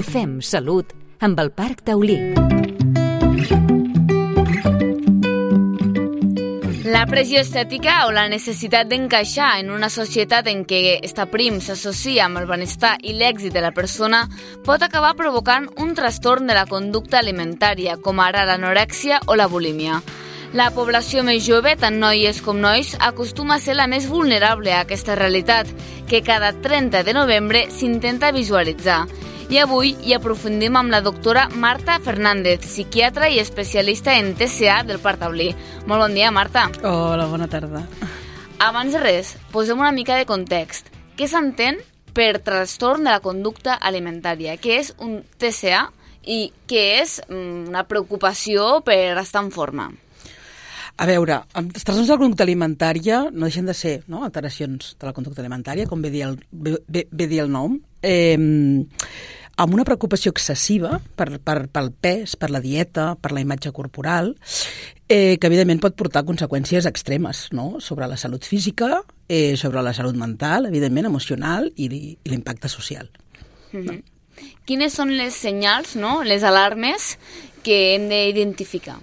Fem Salut amb el Parc Taulí. La pressió estètica o la necessitat d'encaixar en una societat en què estar prim s'associa amb el benestar i l'èxit de la persona pot acabar provocant un trastorn de la conducta alimentària, com ara l'anorèxia o la bulímia. La població més jove, tant noies com nois, acostuma a ser la més vulnerable a aquesta realitat, que cada 30 de novembre s'intenta visualitzar. I avui hi aprofundim amb la doctora Marta Fernández, psiquiatra i especialista en TCA del Parc Taulí. Molt bon dia, Marta. Hola, bona tarda. Abans de res, posem una mica de context. Què s'entén per trastorn de la conducta alimentària? Què és un TCA i què és una preocupació per estar en forma? A veure, els trastorns de la conducta alimentària no deixen de ser alteracions de la conducta alimentària, com ve dir el nom, amb una preocupació excessiva pel pes, per la dieta, per la imatge corporal, que evidentment pot portar conseqüències extremes, no? Sobre la salut física, sobre la salut mental, evidentment emocional i l'impacte social. No? Quines són les senyals, les alarmes que hem d'identificar?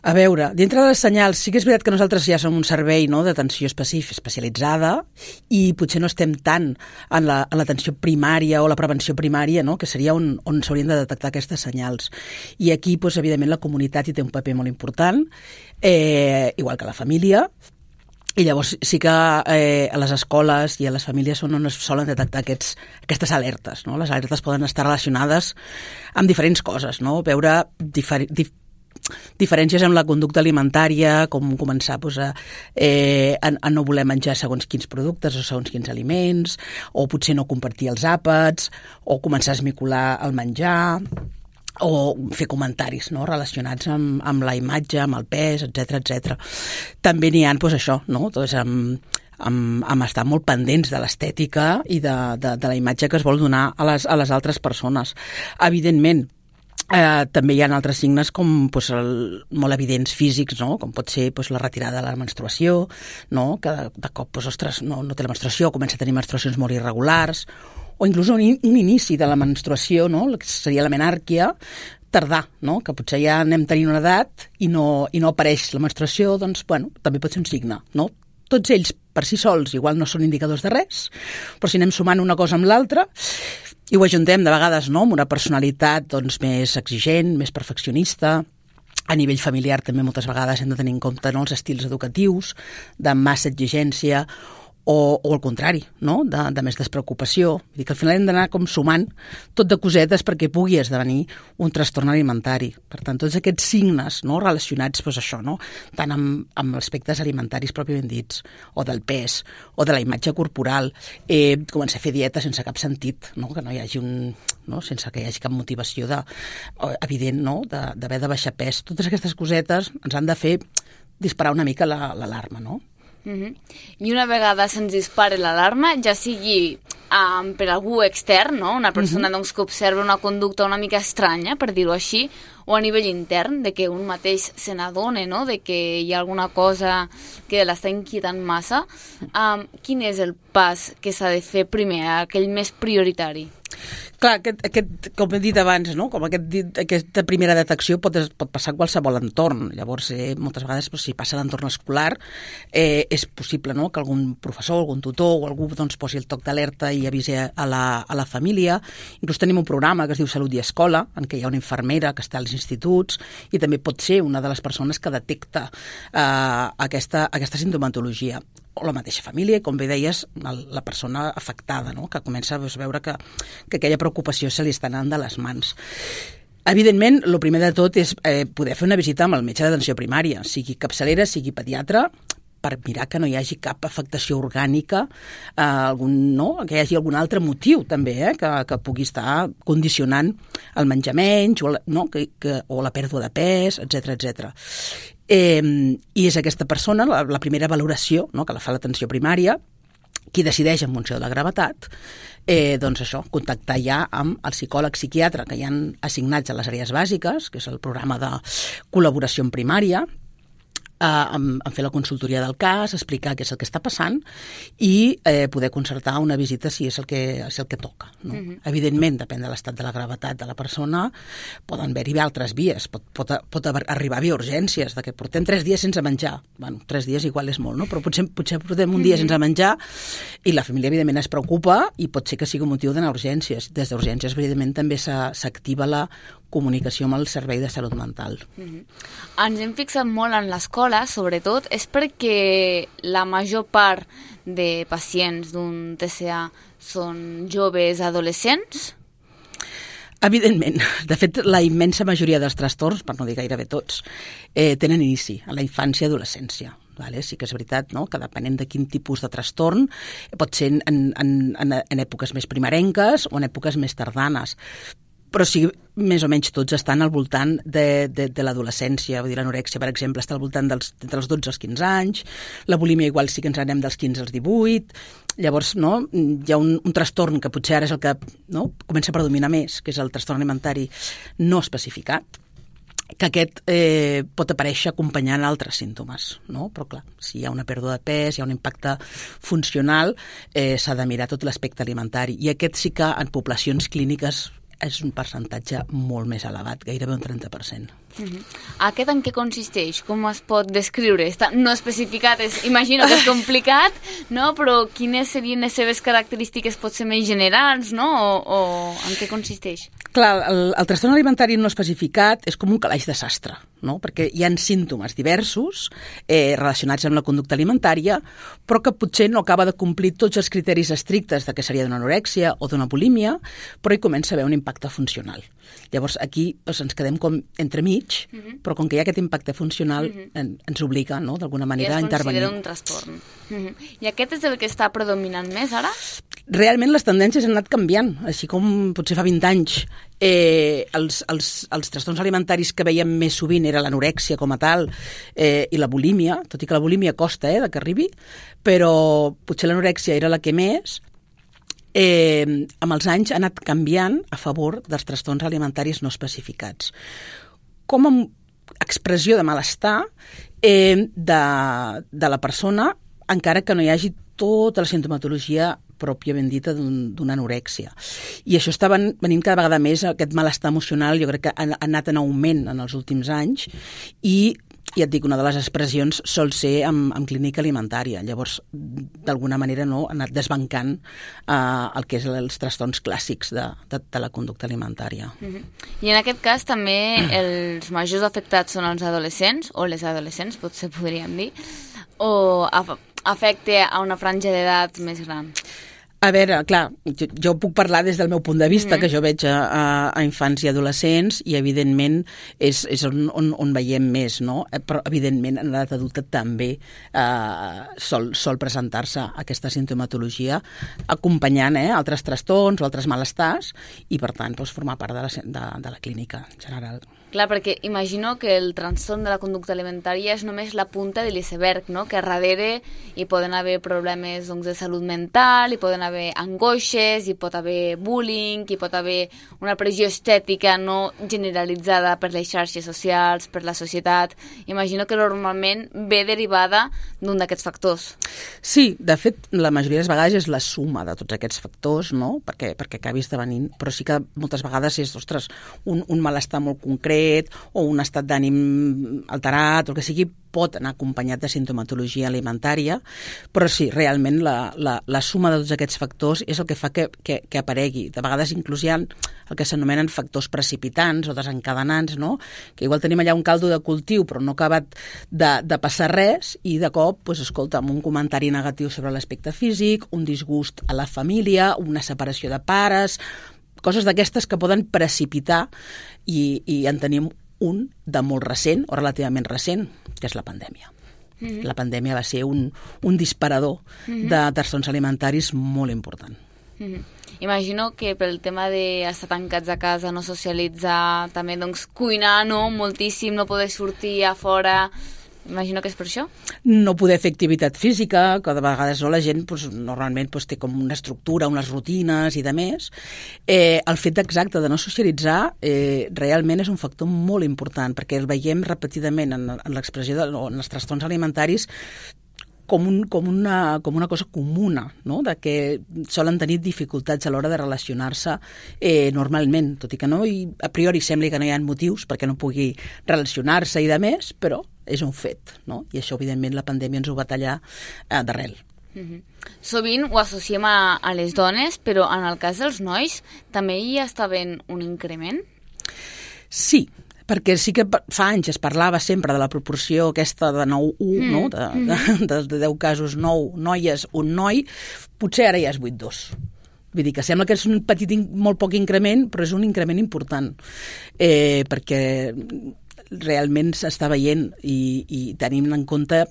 A veure, dintre de les senyals, sí que és veritat que nosaltres ja som un servei d'atenció especialitzada i potser no estem tant en l'atenció primària o la prevenció primària, que seria on s'haurien de detectar aquestes senyals. I aquí, evidentment, la comunitat hi té un paper molt important, igual que la família, i llavors sí que a les escoles i a les famílies són on es solen detectar aquestes alertes. No? Les alertes poden estar relacionades amb diferents coses, veure diferències en la conducta alimentària, com començar a no voler menjar segons quins productes o segons quins aliments, o potser no compartir els àpats, o començar a esmicolar el menjar, o fer comentaris relacionats amb la imatge, amb el pes, etc. També n'hi ha, amb estar molt pendents de l'estètica i de la imatge que es vol donar a les altres persones. Evidentment, també hi ha altres signes com molt evidents físics, com pot ser la retirada de la menstruació, que de cop no té la menstruació, comença a tenir menstruacions molt irregulars, o inclús un inici de la menstruació, que seria la menàrquia, tardà, que potser ja anem tenint una edat i no apareix la menstruació, doncs, també pot ser un signe, Tots ells, per si sols, igual no són indicadors de res, però si anem sumant una cosa amb l'altra, i ho ajuntem de vegades amb una personalitat més exigent, més perfeccionista. A nivell familiar també moltes vegades hem de tenir en compte els estils educatius, de massa exigència, o al contrari, de més despreocupació. Vull dir que al final hem d'anar com sumant tot de cosetes perquè pugui esdevenir un trastorn alimentari. Per tant, tots aquests signes relacionats això, tant amb aspectes alimentaris pròpiament dits, o del pes, o de la imatge corporal, començar a fer dieta sense cap sentit, que no hi hagi sense que hi hagi cap motivació evident, d'haver de baixar pes. Totes aquestes cosetes ens han de fer disparar una mica l'alarma, I una vegada se'ns dispara l'alarma, ja sigui per algú extern, una persona que observa una conducta una mica estranya, per dir-ho així, o a nivell intern, de que un mateix se n'adone, de que hi ha alguna cosa que l'està inquietant massa, quin és el pas que s'ha de fer primer, aquell més prioritari? Clar, com he dit abans, com aquesta primera detecció pot passar en qualsevol entorn. Llavors, moltes vegades, si passa a l'entorn escolar, és possible que algun professor, algun tutor o algú posi el toc d'alerta i avisi a la família. Inclús tenim un programa que es diu Salut i Escola, en què hi ha una infermera que està als instituts i també pot ser una de les persones que detecta aquesta sintomatologia. O la mateixa família, com bé deies, la persona afectada, que comença a veure que aquella preocupació se li està anant de les mans. Evidentment, el primer de tot és poder fer una visita amb el metge d'atenció primària, sigui capçalera, sigui pediatre, per mirar que no hi hagi cap afectació orgànica, que hi hagi algun altre motiu també, que pugui estar condicionant el menjar menys o la pèrdua de pes, etc. I és aquesta persona, la primera valoració que la fa l'atenció primària, qui decideix en funció de la gravetat, contactar ja amb el psicòleg psiquiatre que hi han assignats a les àrees bàsiques, que és el programa de col·laboració en primària, en fer la consultoria del cas, explicar què és el que està passant i poder concertar una visita si és el que toca. No? Evidentment, depèn de l'estat de la gravetat de la persona, poden haver-hi altres vies, pot arribar a haver urgències, de que portem 3 dies sense menjar. Bueno, 3 dies igual és molt, no? Però potser portem un dia sense menjar i la família, evidentment, es preocupa i pot ser que sigui un motiu d'anar a urgències. Des d'urgències, evidentment, també s'activa la comunicació amb el servei de salut mental. Ens hem fixat molt en l'escola, sobretot, és perquè la major part de pacients d'un TCA són joves adolescents? Evidentment. De fet, la immensa majoria dels trastorns, per no dir gairebé tots, tenen inici a la infància i adolescència. Vale? Sí que és veritat, no?, que depenent de quin tipus de trastorn pot ser en èpoques més primerenques o en èpoques més tardanes. Però sí, més o menys tots estan al voltant de l'adolescència. Vull dir, l'anorèxia, per exemple, està al voltant entre els 12 als 15 anys, la bulímia igual sí que ens anem dels 15 als 18, llavors no, hi ha un trastorn que potser ara és el que comença a predominar més, que és el trastorn alimentari no especificat, que aquest pot aparèixer acompanyant altres símptomes, no? Però clar, si hi ha una pèrdua de pes, hi ha un impacte funcional, s'ha de mirar tot l'aspecte alimentari, i aquest sí que en poblacions clíniques és un percentatge molt més elevat, gairebé un 30%. Aquest en què consisteix? Com es pot descriure? Està no especificat, imagino que és complicat, no? Però quines serien les seves característiques potser més generals, no? O en què consisteix? Clar, el trastorn alimentari no especificat és com un calaix de sastre, no? Perquè hi ha símptomes diversos relacionats amb la conducta alimentària, però que potser no acaba de complir tots els criteris estrictes de què seria d'una anorèxia o d'una bulímia, però hi comença a haver un impacte funcional. Llavors aquí ens quedem com entremig, però com que hi ha aquest impacte funcional ens obliga, no?, d'alguna manera a intervenir. I es considera un trastorn. I aquest és el que està predominant més ara? Realment les tendències han anat canviant, així com potser fa 20 anys els trastorns alimentaris que veiem més sovint era l'anorèxia com a tal i la bulímia, tot i que la bulímia costa de que arribi, però potser l'anorèxia era la que més. Amb els anys ha anat canviant a favor dels trastorns alimentaris no especificats. Com a expressió de malestar de la persona, encara que no hi hagi tota la sintomatologia pròpia ben dita d'una anorèxia. I això està venint cada vegada més, aquest malestar emocional, jo crec que ha anat en augment en els últims anys i ja et dic, una de les expressions sol ser amb clínica alimentària. Llavors, d'alguna manera, no, ha anat desbancant el que és els trastorns clàssics de la conducta alimentària. I en aquest cas també els majors afectats són els adolescents, o les adolescents, potser podríem dir, o afecta a una franja d'edat més gran? A veure, clar, jo puc parlar des del meu punt de vista, que jo veig a infants i adolescents i, evidentment, és on veiem més, no? Però, evidentment, en l'edat adulta també sol presentar-se aquesta sintomatologia acompanyant altres trastorns o altres malestars i, per tant, formar part de la clínica en general. Clar, perquè imagino que el trastorn de la conducta alimentària és només la punta de l'iceberg, no? Que darrere hi poden haver problemes de salut mental, hi poden haver angoixes, hi pot haver bullying, hi pot haver una pressió estètica no generalitzada per les xarxes socials, per la societat. Imagino que normalment ve derivada d'un d'aquests factors. Sí, de fet, la majoria de les vegades és la suma de tots aquests factors, no? Perquè acabi esdevenint, però sí que moltes vegades és, ostres, un malestar molt concret o un estat d'ànim alterat, o el que sigui, pot anar acompanyat de sintomatologia alimentària, però sí, realment la suma de tots aquests factors és el que fa que aparegui. De vegades inclús hi ha el que s'anomenen factors precipitants o desencadenants, no? Que igual tenim allà un caldo de cultiu però no ha acabat de passar res i de cop, escolta, amb un comentari negatiu sobre l'aspecte físic, un disgust a la família, una separació de pares, coses d'aquestes que poden precipitar i en tenim un de molt recent o relativament recent, que és la pandèmia. La pandèmia va ser un disparador de trastorns alimentaris molt important. Imagino que pel tema d'estar tancats a casa, no socialitzar, també cuinar moltíssim, no poder sortir a fora, Imagino que és per això. No poder fer activitat física, que de vegades la gent normalment té com una estructura, unes rutines i de més. El fet exacte de no socialitzar realment és un factor molt important, perquè el veiem repetidament en l'expressió en els trastorns alimentaris com una cosa comuna, no? De que solen tenir dificultats a l'hora de relacionar-se normalment, tot i que a priori sembli que no hi ha motius perquè no pugui relacionar-se i de més, però és un fet, no? I això, evidentment, la pandèmia ens ho va tallar d'arrel. Sovint ho associem a les dones, però en el cas dels nois també hi està havent un increment? Sí, perquè sí que fa anys es parlava sempre de la proporció aquesta de 9-1, no? De 10 casos, 9 noies, un noi, potser ara ja és 8-2. Vull dir que sembla que és un molt poc increment, però és un increment important, perquè realment s'està veient i tenim en compte,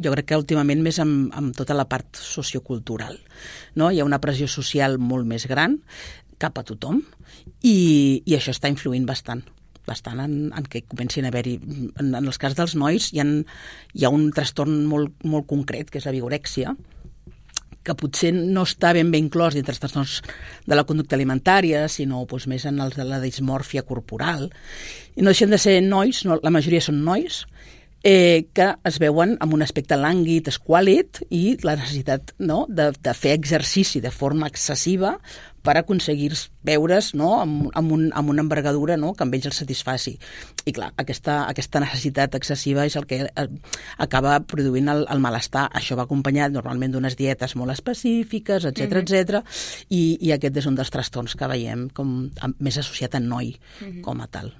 jo crec que últimament més amb tota la part sociocultural, no? Hi ha una pressió social molt més gran cap a tothom i això està influint bastant en què comencin a haver-hi. En els cas dels nois hi ha un trastorn molt concret, que és la vigorèxia, que potser no està ben inclòs dintre els trastorns de la conducta alimentària, sinó més en els de la dismòrfia corporal. I no deixen de ser nois, la majoria són nois, que es veuen amb un aspecte lànguid, esquàlid, i la necessitat, no?, de fer exercici de forma excessiva per aconseguir veure's, no?, amb una envergadura, no?, que amb ells els satisfaci. I clar, aquesta necessitat excessiva és el que acaba produint el malestar. Això va acompanyat normalment d'unes dietes molt específiques, etc. I aquest és un dels trastorns que veiem com més associat a noi com a tal.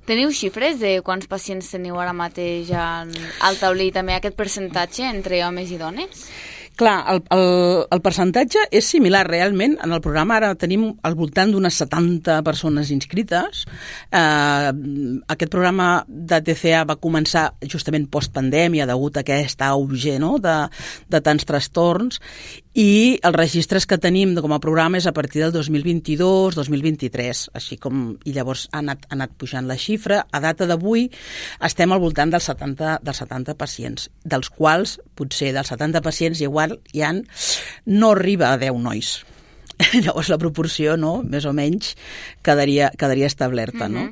Teniu xifres de quants pacients teniu ara mateix al taulí, també aquest percentatge entre homes i dones? Clar, el percentatge és similar realment. En el programa ara tenim al voltant d'unes 70 persones inscrites. Aquest programa de TCA va començar justament postpandèmia degut a aquest auge, no?, de tants trastorns, i els registres que tenim com a programa és a partir del 2022-2023, així com, i llavors ha anat pujant la xifra. A data d'avui estem al voltant dels 70 pacients, dels quals potser dels 70 pacients no arriba a 10 nois. Llavors la proporció, no?, més o menys quedaria establerta, no?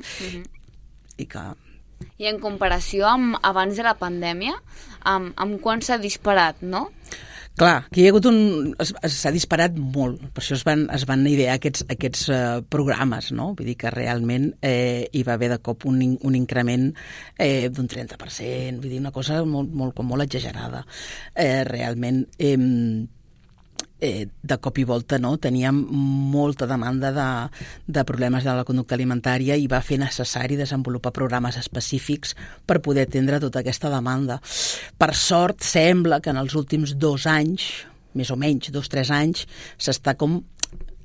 I en comparació amb abans de la pandèmia, amb quan s'ha disparat, no? Clar, aquí s'ha disparat molt, per això es van idear aquests programes, no? Vull dir que realment hi va haver de cop un increment d'un 30%, vull dir, una cosa molt exagerada. Realment, de cop i volta, no?, teníem molta demanda de problemes de la conducta alimentària i va fer necessari desenvolupar programes específics per poder atendre tota aquesta demanda. Per sort, sembla que en els últims 2 anys, més o menys 2-3 anys, s'està com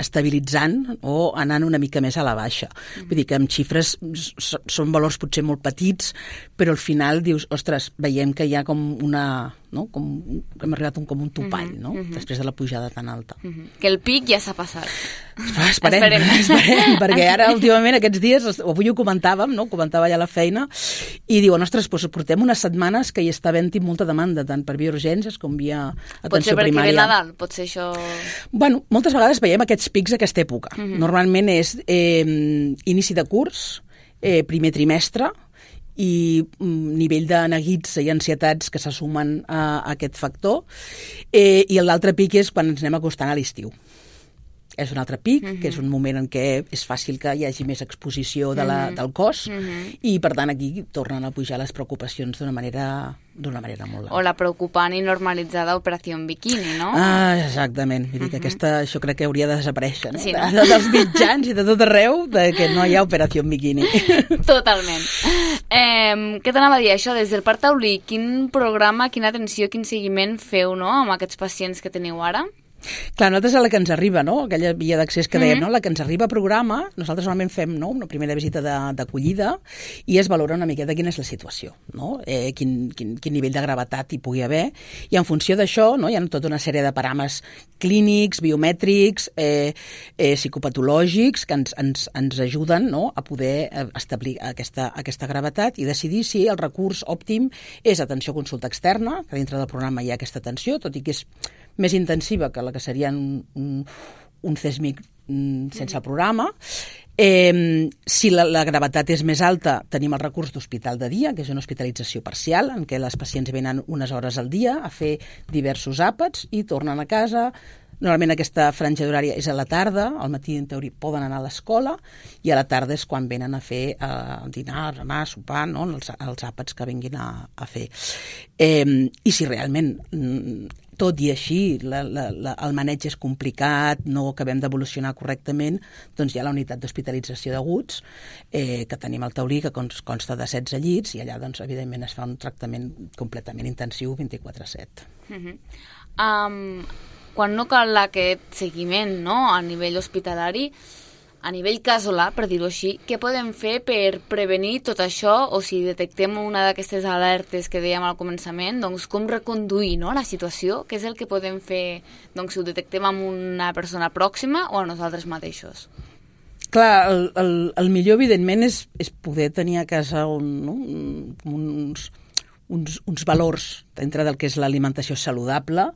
estabilitzant o anant una mica més a la baixa. Vull dir que amb xifres són valors potser molt petits, però al final dius, ostres, veiem que hi ha com una... no? Hem arribat com un topall, no? Després de la pujada tan alta. Que el pic ja s'ha passat. Esperem, perquè ara últimament aquests dies, avui ho comentàvem, no? Comentava ja la feina, i diuen, ostres, portem unes setmanes que hi està havent-hi molta demanda, tant per via urgències com via atenció primària. Potser perquè ve Nadal, potser això... Bueno, moltes vegades veiem aquests pics a aquesta època. Normalment és inici de curs, primer trimestre, i nivell de neguits i ansietats que se sumen a aquest factor, i l'altre pic és quan ens anem acostant a l'estiu. És un altre pic, que és un moment en què és fàcil que hi hagi més exposició del cos, i per tant aquí tornen a pujar les preocupacions d'una manera molt o la preocupant i normalitzada operació en biquini, no? Exactament. Vull dir que això crec que hauria de desaparèixer, no? Sí, no? Dels mitjans i de tot arreu, que no hi ha operació en biquini. Totalment. Què t'anava a dir, això, des del Parc Taulí, quin programa, quina atenció, quin seguiment feu, no?, amb aquests pacients que teniu ara? Clar, nosaltres a la que ens arriba, no? Aquella via d'accés que dèiem, no? La que ens arriba a programa, nosaltres normalment fem, no?, una primera visita d'acollida i es valora una miqueta quina és la situació, no? Quin nivell de gravetat hi pugui haver, i en funció d'això, no?, hi ha tota una sèrie de paràmetres clínics, biomètrics, psicopatològics que ens ajuden, no?, a poder establir aquesta gravetat i decidir si el recurs òptim és atenció a consulta externa, que dintre del programa hi ha aquesta atenció, tot i que és més intensiva que la que seria un CESMIC sense programa. Si la gravetat és més alta, tenim el recurs d'hospital de dia, que és una hospitalització parcial, en què les pacients venen unes hores al dia a fer diversos àpats i tornen a casa. Normalment aquesta franja d'horària és a la tarda, al matí en teoria poden anar a l'escola i a la tarda és quan venen a fer dinar, anar, sopar, no?, els àpats que vinguin a fer. I si realment, tot i així, el maneig és complicat, no acabem d'evolucionar correctament, doncs hi ha la unitat d'hospitalització d'aguts, que tenim al Taulí, que consta de 16 llits, i allà, doncs, evidentment, es fa un tractament completament intensiu 24/7. Quan no cal aquest seguiment, no?, a nivell hospitalari, a nivell casolà, per dir-ho així, què podem fer per prevenir tot això, o si detectem una d'aquestes alertes que dèiem al començament, doncs com reconduir, no?, la situació? Què és el que podem fer, doncs, si ho detectem amb una persona pròxima o a nosaltres mateixos? Clar, el millor, evidentment, és poder tenir a casa uns valors dintre del que és l'alimentació saludable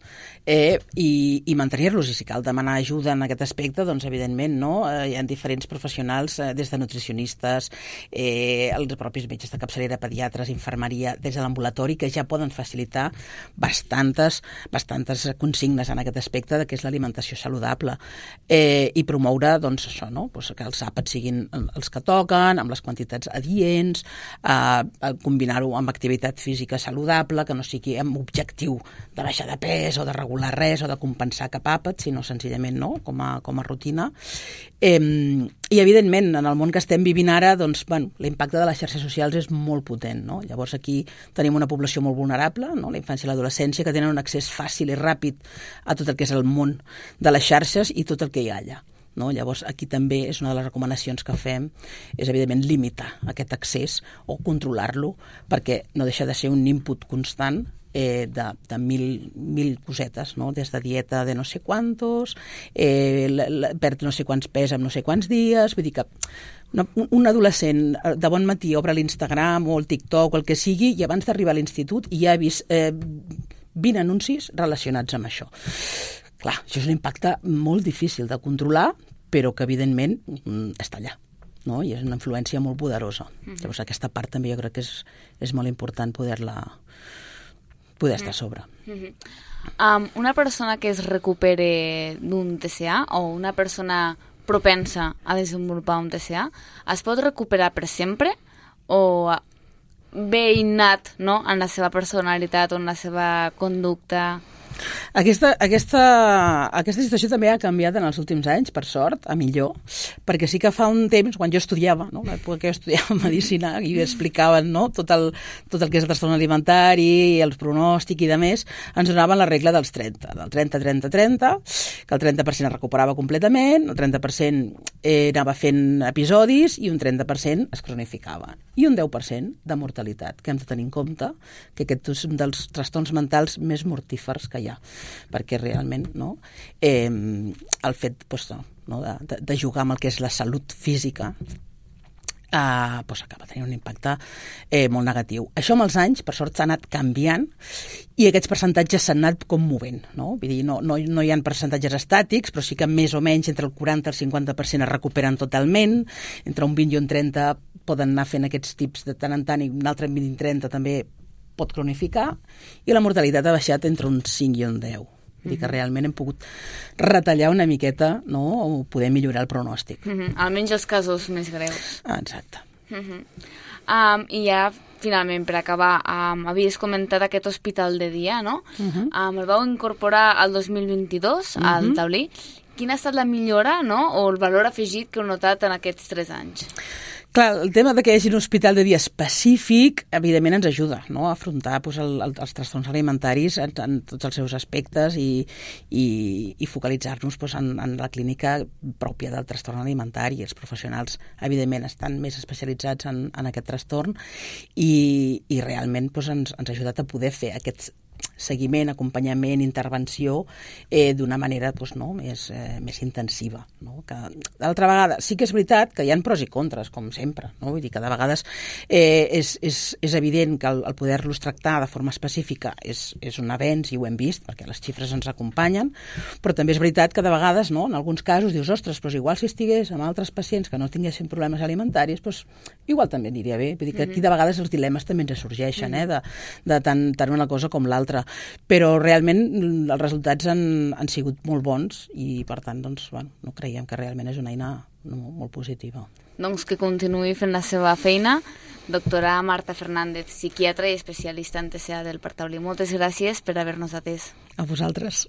i mantenir-los. I si cal demanar ajuda en aquest aspecte, doncs evidentment, no? Hi ha diferents professionals, des de nutricionistes, els propis metges de capçalera, pediatres, infermeria, des de l'ambulatori, que ja poden facilitar bastantes consignes en aquest aspecte de què és l'alimentació saludable, i promoure, doncs, això, no?, pues que els àpats siguin els que toquen, amb les quantitats adients, combinar-ho amb activitat física saludable, que no sigui amb objectiu de baixar de pes o de regular res o de compensar cap àpat, sinó senzillament, no?, com a rutina. I evidentment, en el món que estem vivint ara, doncs, bueno, l'impacte de les xarxes socials és molt potent, no? Llavors aquí tenim una població molt vulnerable, no?, la infància i l'adolescència, que tenen un accés fàcil i ràpid a tot el que és el món de les xarxes i tot el que hi ha allà, no? Llavors aquí també és una de les recomanacions que fem, és evidentment limitar aquest accés o controlar-lo, perquè no deixa de ser un input constant de mil cosetes, no?, des de dieta de no sé quantos, perd no sé quants pes en no sé quants dies, vull dir que un adolescent de bon matí obre l'Instagram o el TikTok o el que sigui, i abans d'arribar a l'institut ja ha vist 20 anuncis relacionats amb això. Clar, això és un impacte molt difícil de controlar, però que evidentment està allà, no?, i és una influència molt poderosa. Llavors aquesta part també jo crec que és molt important poder estar a sobre. Una persona que es recupere d'un TCA o una persona propensa a desenvolupar un TCA, es pot recuperar per sempre o ve innat, no?, en la seva personalitat o en la seva conducta? Aquesta situació també ha canviat en els últims anys, per sort, a millor, perquè sí que fa un temps, quan jo estudiava, no?, l'època que jo estudiava medicina, i explicaven, no?, tot el que és el trastorn alimentari, el pronòstic i de més, ens donaven la regla dels 30, del 30-30-30, que el 30% es recuperava completament, el 30% anava fent episodis i un 30% es cronificava. I un 10% de mortalitat, que hem de tenir en compte que aquest és un dels trastorns mentals més mortífers que hi ha, perquè realment, no, el fet, doncs, no, de jugar amb el que és la salut física doncs acaba tenint un impacte molt negatiu. Això amb els anys, per sort, s'ha anat canviant i aquests percentatges s'han anat com movent, no? Vull dir, no hi ha percentatges estàtics, però sí que més o menys entre el 40 i el 50% es recuperen totalment, entre un 20 i un 30 poden anar fent aquests tips de tant en tant, i un altre 20 i 30 també pot cronificar, i la mortalitat ha baixat entre un 5 i un 10. Vull dir que realment hem pogut retallar una miqueta, no?, o poder millorar el pronòstic. Almenys els casos més greus. Exacte. I ja, finalment, per acabar, havies comentat aquest hospital de dia, no? El vau incorporar al 2022 al Taulí. Quina ha estat la millora, no?, o el valor afegit que heu notat en aquests 3 anys? Clar, el tema de que hi hagi un hospital de dia específic, evidentment ens ajuda, no?, a afrontar els trastorns alimentaris en tots els seus aspectes i focalitzar-nos en la clínica pròpia del trastorn alimentari. Els professionals, evidentment, estan més especialitzats en aquest trastorn i realment ens ha ajudat a poder fer aquest seguiment, acompanyament, intervenció d'una manera més intensiva. No? D'altra vegada, sí que és veritat que hi ha pros i contres, com sempre. No? Vull dir que de vegades és evident que el poder-los tractar de forma específica és un avenç, i ho hem vist, perquè les xifres ens acompanyen, però també és veritat que de vegades, no, en alguns casos, dius, ostres, però igual si estigués amb altres pacients que no tinguessin problemes alimentaris, igual també aniria bé. Vull dir que aquí de vegades els dilemes també ens sorgeixen, de tant una cosa com l'altra. Però realment els resultats han sigut molt bons i per tant no creiem que realment és una eina molt positiva. Doncs que continuï fent la seva feina. Doctora Marta Fernández, psiquiatra i especialista en TCA del Parc Taulí. Moltes gràcies per haver-nos atès. A vosaltres.